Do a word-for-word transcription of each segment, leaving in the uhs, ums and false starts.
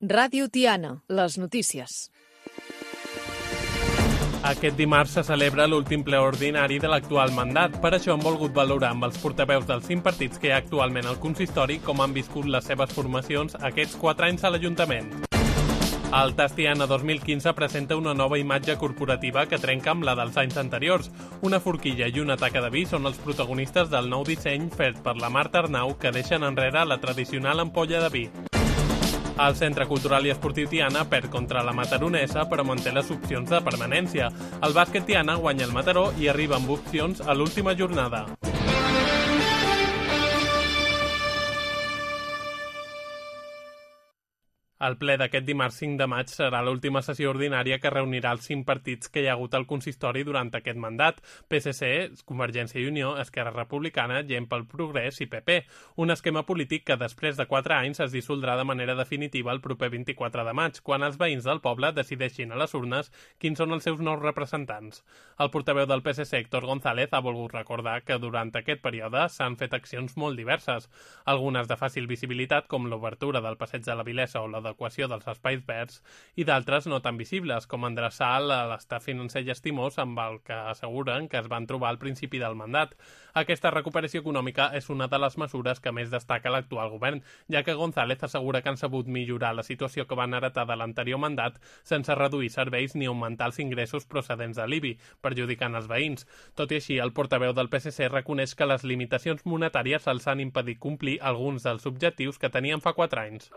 Ràdio Tiana, les notícies. Aquest dimarts se celebra l'últim ple ordinari de l'actual mandat. Per això hem volgut valorar amb els portaveus dels cinc partits que hi ha actualment al consistori com han viscut les seves formacions aquests quatre anys a l'Ajuntament. El Tas Tiana dos mil quinze presenta una nova imatge corporativa que trenca amb la dels anys anteriors. Una forquilla i una taca de vi són els protagonistes del nou disseny fet per la Marta Arnau que deixen enrere la tradicional ampolla de vi. El Centre Cultural i Esportiu Tiana perd contra la Mataronesa però manté les opcions de permanència. El bàsquet Tiana guanya el Mataró i arriba amb opcions a l'última jornada. El ple d'aquest dimarts cinc de maig serà l'última sessió ordinària que reunirà els cinc partits que hi ha hagut al consistori durant aquest mandat: P S C, Convergència i Unió, Esquerra Republicana, Gent pel Progrés i P P. Un esquema polític que després de quatre anys es dissoldrà de manera definitiva el proper vint-i-quatre de maig, quan els veïns del poble decideixin a les urnes quins són els seus nous representants. El portaveu del P S C, Héctor González, ha volgut recordar que durant aquest període s'han fet accions molt diverses, algunes de fàcil visibilitat com l'obertura del passeig de la Vilesa o la equació dels espais verds, i d'altres no tan visibles, com endreçar l'estat financer llastimós amb el que asseguren que es van trobar al principi del mandat. Aquesta recuperació econòmica és una de les mesures que més destaca l'actual govern, ja que González assegura que han sabut millorar la situació que van heretar de l'anterior mandat sense reduir serveis ni augmentar els ingressos procedents de l'I B I, perjudicant els veïns. Tot i així, el portaveu del P S C reconeix que les limitacions monetàries els han impedit complir alguns dels objectius que tenien fa quatre anys.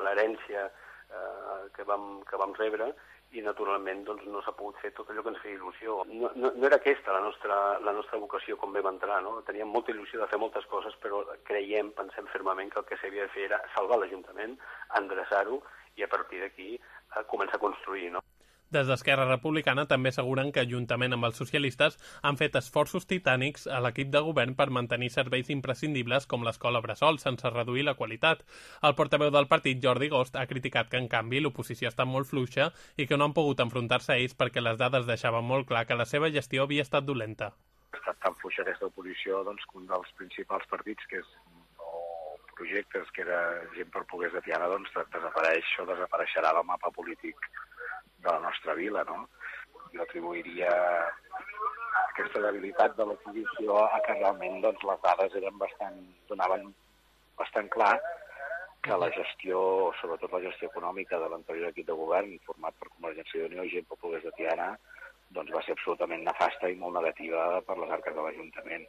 L'herència eh, que, vam, que vam rebre i naturalment doncs, no s'ha pogut fer tot allò que ens feia il·lusió. No, no, no era aquesta la nostra, la nostra vocació com vam entrar, no? Teníem molta il·lusió de fer moltes coses, però creiem, pensem fermament que el que s'havia de fer era salvar l'Ajuntament, endreçar-ho i a partir d'aquí eh, començar a construir, no? Des d'Esquerra Republicana també asseguren que, juntament amb els socialistes, han fet esforços titànics a l'equip de govern per mantenir serveis imprescindibles com l'escola bressol, sense reduir la qualitat. El portaveu del partit, Jordi Gost, ha criticat que, en canvi, l'oposició està molt fluixa i que no han pogut enfrontar-se a ells perquè les dades deixaven molt clar que la seva gestió havia estat dolenta. Ha estat tan fluixa aquesta oposició doncs, que un dels principals partits, que és o projectes, que era Gent pel Progrés de Tiana, doncs desapareix o desapareixerà del mapa polític de la nostra vila, no? Jo atribuiria aquesta debilitat de l'oposició a que realment doncs, les dades eren bastant, donaven bastant clar que la gestió, sobretot la gestió econòmica de l'anterior equip de govern, format per Convergència i Unió i Gent pel Progrés de Tiana, doncs va ser absolutament nefasta i molt negativa per les arques de l'Ajuntament.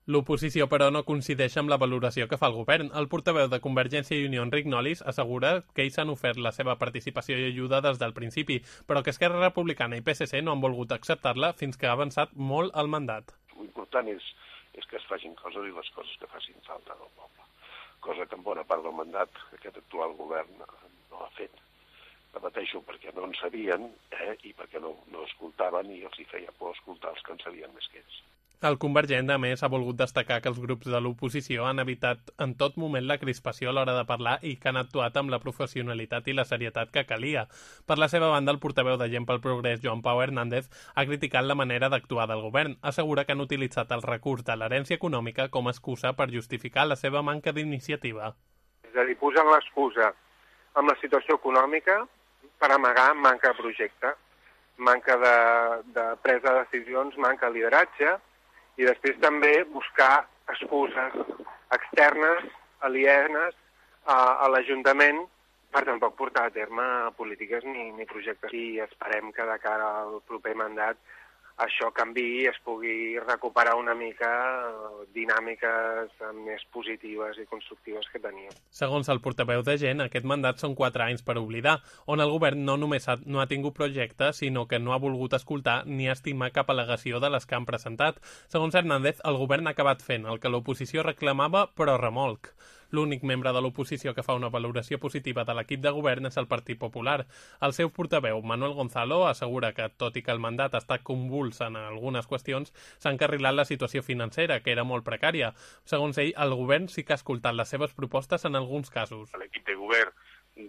L'oposició, però, no coincideix amb la valoració que fa el govern. El portaveu de Convergència i Unió, Enric Nolis, assegura que ells han ofert la seva participació i ajuda des del principi, però que Esquerra Republicana i P S C no han volgut acceptar-la fins que ha avançat molt el mandat. L'important és, és que es facin coses i les coses que facin falta del poble, cosa que en bona part del mandat aquest actual govern no ha fet. Repeteixo, perquè no en sabien eh, i perquè no, no escoltaven i els hi feia por escoltar els que en sabien més que ells. El convergent, a més, ha volgut destacar que els grups de l'oposició han evitat en tot moment la crispació a l'hora de parlar i que han actuat amb la professionalitat i la serietat que calia. Per la seva banda, el portaveu de Gent pel Progrés, Joan Pau Hernández, ha criticat la manera d'actuar del govern. Assegura que han utilitzat el recurs de l'herència econòmica com a excusa per justificar la seva manca d'iniciativa. És a dir, posen l'excusa amb la situació econòmica per amagar manca de projecte, manca de, de presa de decisions, manca de lideratge, i després també buscar excuses externes, alienes a, a l'Ajuntament per tampoc portar a terme polítiques ni, ni projectes. I esperem que de cara al proper mandat això canviï i es pugui recuperar una mica dinàmiques més positives i constructives que teníem. Segons el portaveu de Gent, aquest mandat són quatre anys per oblidar, on el govern no només ha, no ha tingut projecte, sinó que no ha volgut escoltar ni estimar cap al·legació de les que han presentat. Segons Hernández, el govern ha acabat fent el que l'oposició reclamava, però remolc. L'únic membre de l'oposició que fa una valoració positiva de l'equip de govern és el Partit Popular. El seu portaveu, Manuel Gonzalo, assegura que, tot i que el mandat està convuls en algunes qüestions, s'ha encarrilat la situació financera, que era molt precària. Segons ell, el govern sí que ha escoltat les seves propostes en alguns casos. L'equip de govern,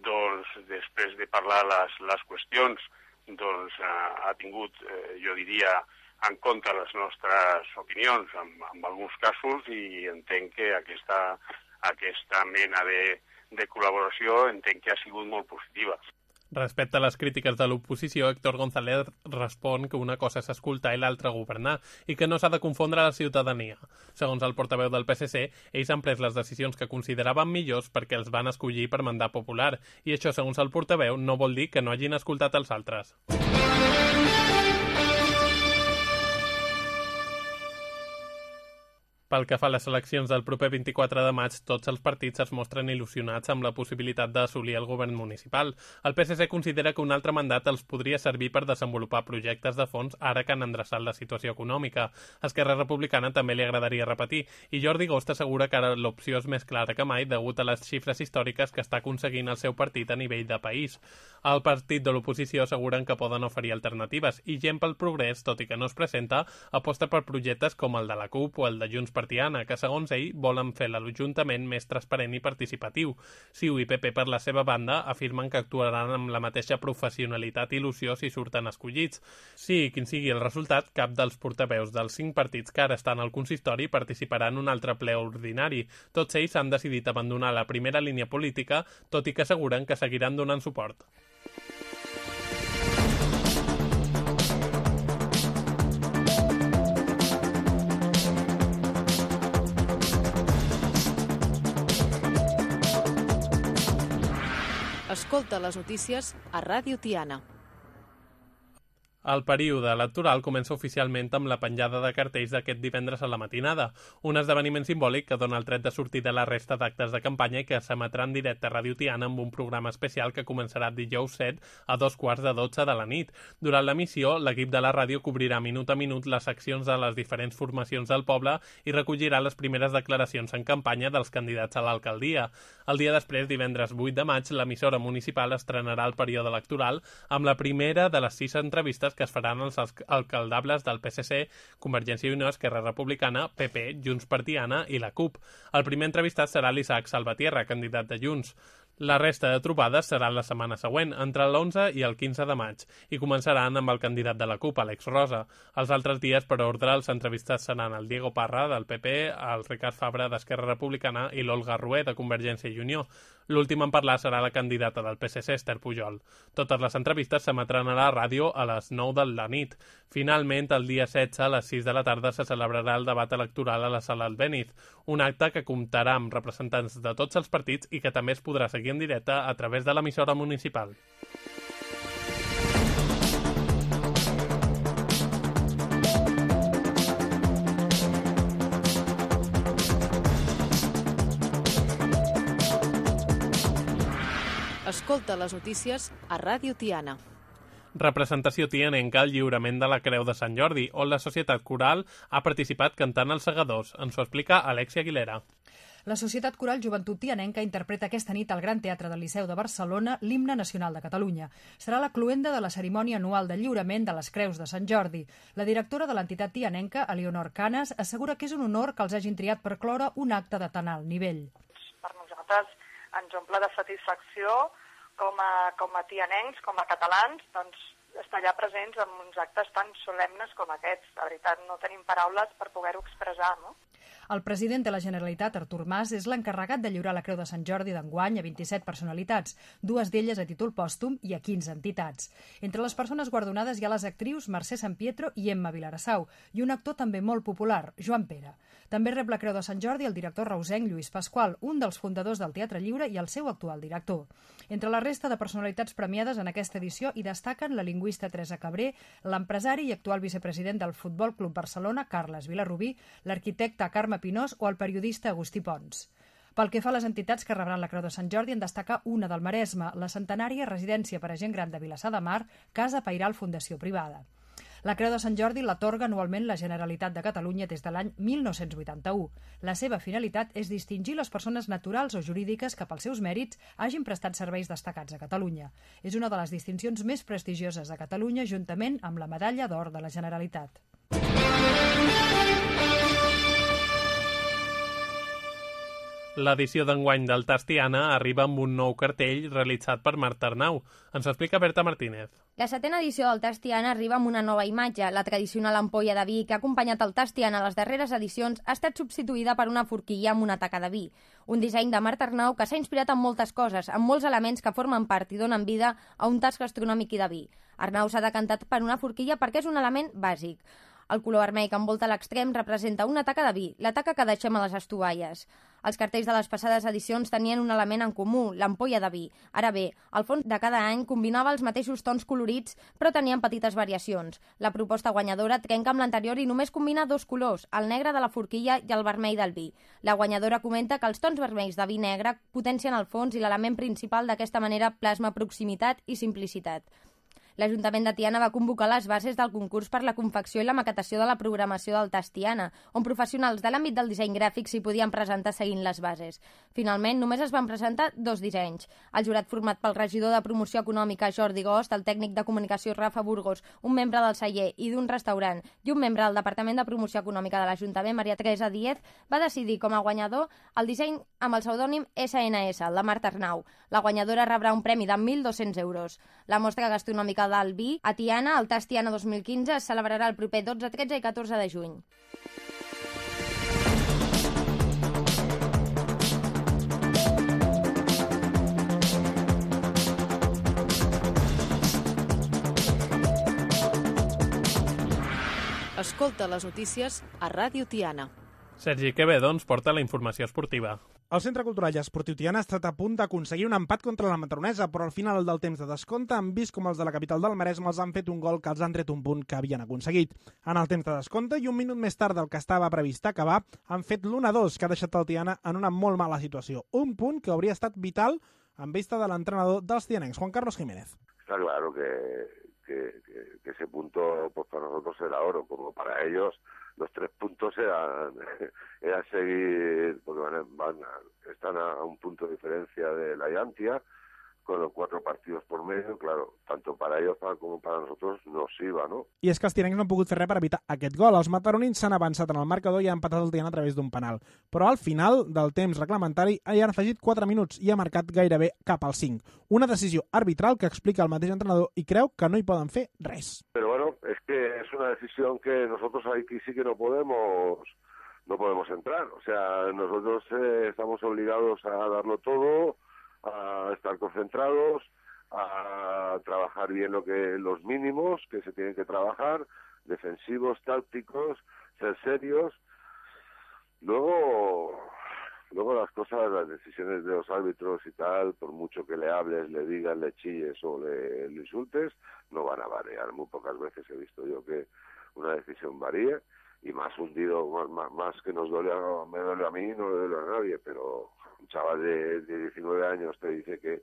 doncs, després de parlar les, les qüestions, doncs, ha, ha tingut, eh, jo diria, en compte les nostres opinions en, en alguns casos i entenc que aquesta, aquesta mena de, de col·laboració entenc que ha sigut molt positiva. Respecte a les crítiques de l'oposició, Héctor González respon que una cosa és escoltar i l'altra governar i que no s'ha de confondre la ciutadania. Segons el portaveu del P S C, ells han pres les decisions que consideraven millors perquè els van escollir per mandat popular i això, segons el portaveu, no vol dir que no hagin escoltat els altres. Pel que fa a les eleccions del proper vint-i-quatre de maig, tots els partits es mostren il·lusionats amb la possibilitat d'assolir el govern municipal. El P S C considera que un altre mandat els podria servir per desenvolupar projectes de fons ara que han endreçat la situació econòmica. A Esquerra Republicana també li agradaria repetir, i Jordi Gost assegura que ara l'opció és més clara que mai degut a les xifres històriques que està aconseguint el seu partit a nivell de país. El partit de l'oposició asseguren que poden oferir alternatives i Gent pel Progrés, tot i que no es presenta, aposta per projectes com el de la CUP o el de Junts per Tiana, que segons ell volen fer l'Ajuntament més transparent i participatiu. C I U i P P per la seva banda afirmen que actuaran amb la mateixa professionalitat i il·lusió si surten escollits. Sigui quin sigui el resultat, cap dels portaveus dels cinc partits que ara estan al consistori participarà en un altre ple ordinari. Tots ells han decidit abandonar la primera línia política, tot i que asseguren que seguiran donant suport. Escolta les notícies a Ràdio Tiana. El període electoral comença oficialment amb la penjada de cartells d'aquest divendres a la matinada, un esdeveniment simbòlic que dona el tret de sortir de la resta d'actes de campanya i que s'emetrà en directe a Ràdio Tiana amb un programa especial que començarà dijous set a dos quarts de dotze de la nit. Durant l'emissió, l'equip de la ràdio cobrirà minut a minut les accions de les diferents formacions del poble i recollirà les primeres declaracions en campanya dels candidats a l'alcaldia. El dia després, divendres vuit de maig, l'emissora municipal estrenarà el període electoral amb la primera de les sis entrevistes que es faran els alcaldables del P S C, Convergència i Unió, Esquerra Republicana, P P, Junts per Tiana i la CUP. El primer entrevistat serà l'Isaac Salvatierra, candidat de Junts. La resta de trobades seran la setmana següent, entre l'onze i el quinze de maig, i començaran amb el candidat de la CUP, Àlex Rosa. Els altres dies, per ordre, els entrevistats seran el Diego Parra, del P P, el Ricard Fabra, d'Esquerra Republicana, i l'Olga Rué, de Convergència i Unió. L'últim en parlar serà la candidata del P S C, Esther Pujol. Totes les entrevistes s'emetran a la ràdio a les nou de la nit. Finalment, el dia setze, a les sis de la tarda, se celebrarà el debat electoral a la Sala Albéniz, un acte que comptarà amb representants de tots els partits i que també es podrà seguir en directe a través de l'emissora municipal. Escolta les notícies a Ràdio Tiana. Representació tianenca al lliurament de la Creu de Sant Jordi, on la Societat Coral ha participat cantant els segadors. Ens ho explica Alexia Aguilera. La Societat Coral Joventut Tianenca interpreta aquesta nit al Gran Teatre del Liceu de Barcelona l'himne nacional de Catalunya. Serà la cloenda de la cerimònia anual de lliurament de les Creus de Sant Jordi. La directora de l'entitat tianenca, Elionor Canes, assegura que és un honor que els hagin triat per cloure un acte de tan alt nivell. Per nosaltres ens omple de satisfacció com a, com a tianencs, com a catalans, doncs, estar allà presents en uns actes tan solemnes com aquests. La veritat, no tenim paraules per poder-ho expressar, no? El president de la Generalitat, Artur Mas, és l'encarregat de lliurar la Creu de Sant Jordi d'enguany a vint-i-set personalitats, dues d'elles a títol pòstum i a quinze entitats. Entre les persones guardonades hi ha les actrius Mercè San Pietro i Emma Vilarassau, i un actor també molt popular, Joan Pere. També rep la Creu de Sant Jordi el director reusenc Lluís Pasqual, un dels fundadors del Teatre Lliure i el seu actual director. Entre la resta de personalitats premiades en aquesta edició hi destaquen la lingüista Teresa Cabré, l'empresari i actual vicepresident del Futbol Club Barcelona, Carles Vilarrubí, l'arquitecte Carme Pinós o el periodista Agustí Pons. Pel que fa a les entitats que rebran la Creu de Sant Jordi, en destaca una del Maresme, la centenària residència per a gent gran de Vilassar de Mar, Casa Pairal Fundació Privada. La Creu de Sant Jordi l'atorga anualment la Generalitat de Catalunya des de l'any mil nou-cents vuitanta-u. La seva finalitat és distingir les persones naturals o jurídiques que pels seus mèrits hagin prestat serveis destacats a Catalunya. És una de les distincions més prestigioses de Catalunya, juntament amb la Medalla d'Or de la Generalitat. L'edició d'enguany del Tast Tiana arriba amb un nou cartell realitzat per Marta Arnau. Ens explica Berta Martínez. La setena edició del Tast Tiana arriba amb una nova imatge. La tradicional ampolla de vi que ha acompanyat el Tast Tiana a les darreres edicions ha estat substituïda per una forquilla amb una taca de vi. Un disseny de Marta Arnau que s'ha inspirat en moltes coses, amb molts elements que formen part i donen vida a un tast gastronòmic i de vi. Arnau s'ha decantat per una forquilla perquè és un element bàsic. El color vermell que envolta l'extrem representa una taca de vi, la taca que deixem a les estovalles. Els cartells de les passades edicions tenien un element en comú, l'ampolla de vi. Ara bé, el fons de cada any combinava els mateixos tons colorits, però tenien petites variacions. La proposta guanyadora trenca amb l'anterior i només combina dos colors, el negre de la forquilla i el vermell del vi. La guanyadora comenta que els tons vermells de vi negre potencien el fons i l'element principal d'aquesta manera plasma proximitat i simplicitat. L'Ajuntament de Tiana va convocar les bases del concurs per la confecció i la maquetació de la programació del Tast Tiana, on professionals de l'àmbit del disseny gràfic s'hi podien presentar seguint les bases. Finalment, només es van presentar dos dissenys. El jurat format pel regidor de Promoció Econòmica Jordi Gost, el tècnic de comunicació Rafa Burgos, un membre del celler i d'un restaurant i un membre del Departament de Promoció Econòmica de l'Ajuntament, Maria Teresa Díez, va decidir com a guanyador el disseny amb el pseudònim essa ena essa, el de Marta Arnau. La guanyadora rebrà un premi de mil dos-cents euros. La mostra gastronòmica del vi a Tiana, el Tast Tiana dos mil quinze, es celebrarà el proper dotze, tretze i catorze de juny. Escolta les notícies a Ràdio Tiana. Sergi Quevedo ens porta la informació esportiva. El Centre Cultural i Esportiu Tiana ha estat a punt d'aconseguir un empat contra la Matronesa, però al final del temps de descompte han vist com els de la capital del Maresme els han fet un gol que els han tret un punt que havien aconseguit. En el temps de descompte i un minut més tard del que estava previst acabar, han fet l'u a dos, que ha deixat el Tiana en una molt mala situació. Un punt que hauria estat vital en vista de l'entrenador dels tianencs, Juan Carlos Jiménez. Está claro que, que, que, que ese punto pues para nosotros era oro, como para ellos los tres puntos eran, eran seguir, porque van, van, están a un punto de diferencia de la Llantia, con los cuatro partidos por medio, claro, tanto para ellos como para nosotros nos iba, ¿no? I és que els tianencs no han pogut fer res per evitar aquest gol. Els mataronins s'han avançat en el marcador i han empatat el Tiana a través d'un penal. Però al final del temps reglamentari hi han afegit quatre minuts i ha marcat gairebé cap al cinc. Una decisió arbitral que explica el mateix entrenador i creu que no hi poden fer res. Pero bueno, es que es una decisión que nosotros aquí sí que no podemos no podemos entrar. O sea, nosotros eh, estamos obligados a darlo todo, a estar concentrados, a trabajar bien lo que los mínimos que se tienen que trabajar, defensivos, tácticos, ser serios. Luego, luego las cosas, las decisiones de los árbitros y tal, por mucho que le hables, le digas, le chilles o le, le insultes, no van a variar. Muy pocas veces he visto yo que una decisión varíe, y más hundido, más, más, más que nos duele, a, me duele a mí, no le duele a nadie, pero un chaval de, de diecinueve años te dice que,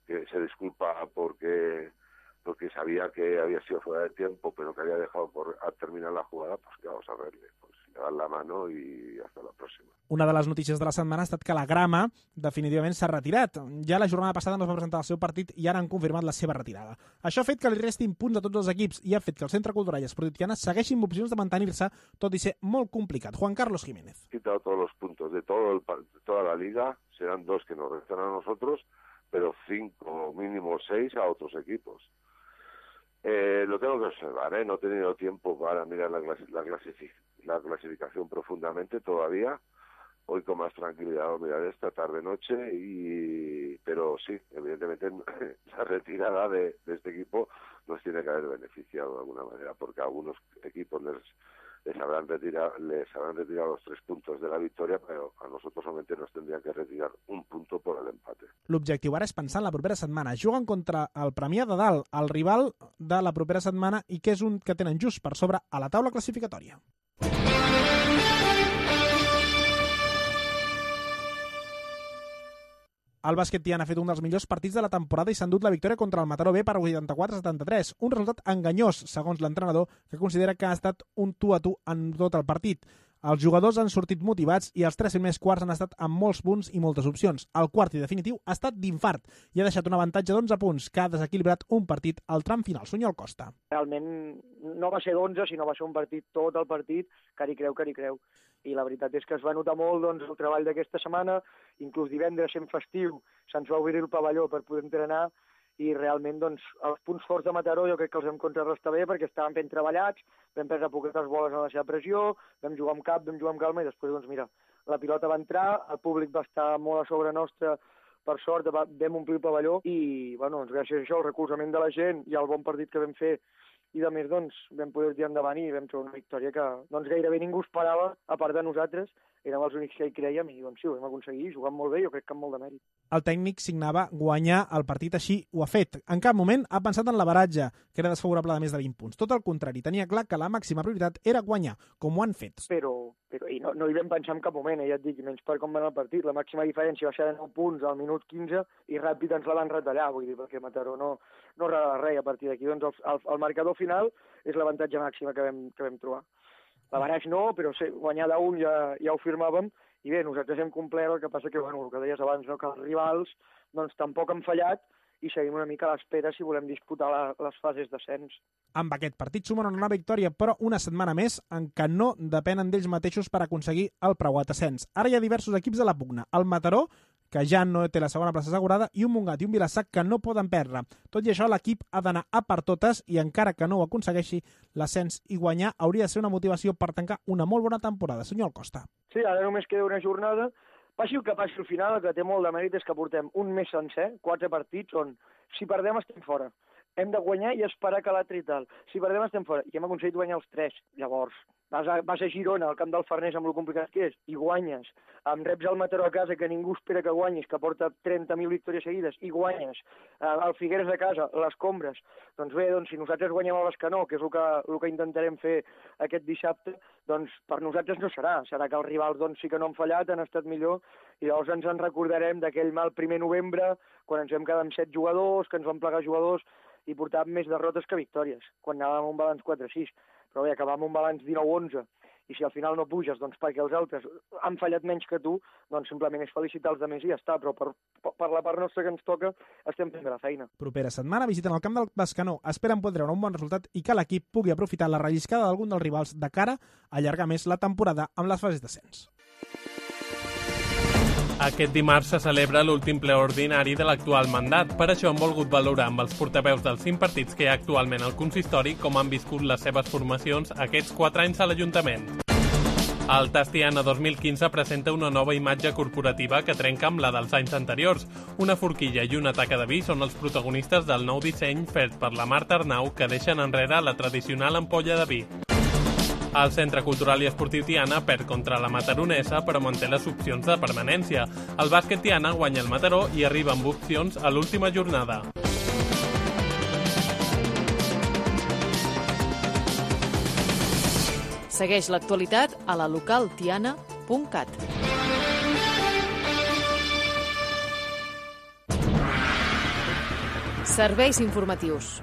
que se disculpa porque porque sabía que había sido fuera de tiempo, pero que había dejado por a terminar la jugada, pues que vamos a verle, pues le dan la mano y hasta la próxima. Una de les notícies de la setmana ha estat que la Grama definitivament s'ha retirat. Ja la jornada passada no es va presentar el seu partit i ara han confirmat la seva retirada. Això ha fet que li restin punts a tots els equips i ha fet que el Centre Cultural i Esportiu Tiana segueixi amb opcions de mantenir-se, tot i ser molt complicat. Juan Carlos Jiménez. Quitado todos los puntos de, todo el, de toda la liga, serán dos que nos restan a nosotros, pero cinco, mínimo seis a otros equipos. Eh, lo tengo que observar, ¿eh? No he tenido tiempo para mirar la, clasi la, clasific la clasificación profundamente todavía. Hoy con más tranquilidad lo miraré esta tarde-noche, y pero sí, evidentemente la retirada de, de este equipo nos tiene que haber beneficiado de alguna manera, porque a algunos equipos les, les, habrán retirado, les habrán retirado los tres puntos de la victoria, pero a nosotros solamente nos tendrían que retirar un punto por el empate. L'objectiu ara és pensar en la propera setmana. Juguen contra el Premià de Dalt, el rival de la propera setmana, i que és un que tenen just per sobre a la taula classificatòria. El bàsquet Tiana ha fet un dels millors partits de la temporada i s'ha endut la victòria contra el Mataró B per vuitanta-quatre a setanta-tres, un resultat enganyós, segons l'entrenador, que considera que ha estat un tu a tu en tot el partit. Els jugadors han sortit motivats i els tres primers quarts han estat amb molts punts i moltes opcions. El quart i definitiu ha estat d'infart i ha deixat un avantatge d'onze punts que ha desequilibrat un partit al tram final. Sunyol Costa. Realment no va ser d'onze, sinó va ser un partit, tot el partit, que hi creu, que hi creu. I la veritat és que es va notar molt doncs, el treball d'aquesta setmana, inclús divendres sent festiu, se'ns va obrir el pavelló per poder entrenar i realment doncs, els punts forts de Mataró jo crec que els vam contrarrestar bé perquè estaven ben treballats, vam prendre poquetes boles en la seva pressió, vam jugar amb cap, vam jugar amb calma i després, doncs mira, la pilota va entrar, el públic va estar molt a sobre nostre, per sort vam omplir el pavelló i bueno, doncs, gràcies a això, el recolzament de la gent i el bon partit que vam fer i de més doncs, vam poder tirar endavant i vam trobar una victòria que doncs, gairebé ningú esperava, a part de nosaltres, érem els únics que hi creiem i doncs sí, ho vam aconseguir, jugant molt bé, jo crec que amb molt de mèrit. El tècnic signava guanyar el partit, així ho ha fet. En cap moment ha pensat en l'averatge, que era desfavorable de més de vint punts. Tot el contrari, tenia clar que la màxima prioritat era guanyar, com ho han fet. Però, però i no, no hi vam pensar en cap moment, eh, ja et dic, menys per com va anar el partit. La màxima diferència va ser de nou punts al minut quinze i ràpid ens la van retallar, vull dir, perquè Mataró no, no regala res a partir d'aquí. Doncs el, el, el marcador final és l'avantatge màxima que vam, que vam trobar. L'averaix no, però sí, guanyar d'un ja, ja ho firmàvem i bé, nosaltres hem complert, el que passa que, bueno, el que deies abans, no, que els rivals doncs, tampoc han fallat i seguim una mica a l'espera si volem disputar la, les fases d'ascens. Amb aquest partit sumen una victòria, però una setmana més en què no depenen d'ells mateixos per aconseguir el preuat ascens. Ara hi ha diversos equips de la pugna. El Mataró, que ja no té la segona plaça assegurada, i un Montgat i un Vilassac que no poden perdre. Tot i això, l'equip ha d'anar a per totes i encara que no ho aconsegueixi, l'ascens i guanyar hauria de ser una motivació per tancar una molt bona temporada. Senyor Costa. Sí, ara només queda una jornada. Passi el que passi al final, el que té molt de mèrit és que portem un mes sencer, quatre partits, on si perdem estem fora. Hem de guanyar i esperar que l'altre i tal. Si perdem estem fora. I hem aconseguit guanyar els tres. Llavors, vas a, vas a Girona, al camp del Farners, amb el complicat que és, i guanyes. Em reps el Mataró a casa, que ningú espera que guanyis, que porta trenta mil victòries seguides, i guanyes. El Figueres a casa, les Combres. Doncs bé, doncs, si nosaltres guanyem a l'Escanó, que és el que, el que intentarem fer aquest dissabte, doncs per nosaltres no serà. Serà que els rivals doncs, sí que no han fallat, han estat millor, i llavors ens en recordarem d'aquell mal primer novembre, quan ens vam quedar amb set jugadors, que ens van plegar jugadors, i portàvem més derrotes que victòries, quan anàvem amb un balanç quatre sis. Però bé, acabar amb un balanç dinou onze, i si al final no puges, doncs perquè els altres han fallat menys que tu, doncs simplement és felicitar els altres i ja està, però per, per la part nostra que ens toca estem fent bé la feina. Propera setmana visiten el camp del Bescanó, esperen poder treure un bon resultat i que l'equip pugui aprofitar la relliscada d'algun dels rivals de cara a allargar més la temporada amb les fases d'ascens. Aquest dimarts se celebra l'últim ple ordinari de l'actual mandat. Per això hem volgut valorar amb els portaveus dels cinc partits que hi ha actualment al consistori com han viscut les seves formacions aquests quatre anys a l'Ajuntament. El Tastiana dos mil quinze presenta una nova imatge corporativa que trenca amb la dels anys anteriors. Una forquilla i una taca de vi són els protagonistes del nou disseny fet per la Marta Arnau que deixen enrere la tradicional ampolla de vi. El Centre Cultural i Esportiu Tiana perd contra la Mataronesa però manté les opcions de permanència. El bàsquet Tiana guanya el Mataró i arriba amb opcions a l'última jornada. Segueix l'actualitat a la local tiana punt cat. Serveis informatius.